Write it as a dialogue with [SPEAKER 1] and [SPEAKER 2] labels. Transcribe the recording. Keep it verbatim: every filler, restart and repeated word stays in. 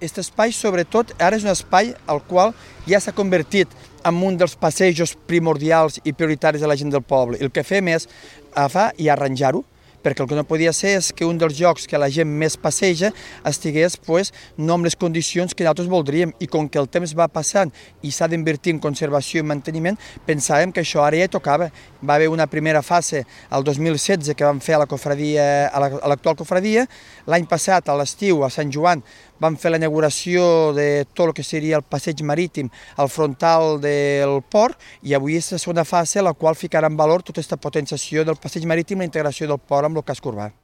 [SPEAKER 1] Aquest espai, sobretot, ara és un espai al qual ja s'ha convertit en un dels passejos primordials i prioritaris de la gent del poble. El que fem és agafar i arranjar-ho, perquè el que no podia ser és que un dels llocs que la gent més passeja estigués pues, no amb les condicions que nosaltres voldríem. I com que el temps va passant i s'ha d'invertir en conservació i manteniment, pensàvem que això ara ja tocava. Va haver una primera fase el dos mil setze que vam fer a la cofradia, a l'actual cofradia. L'any passat, a l'estiu, a Sant Joan, vam fer la inauguració de tot el que seria el passeig marítim al frontal del port i avui és la segona fase a la qual ficarà en valor tota aquesta potenciació del passeig marítim i la integració del port amb el casc urbà.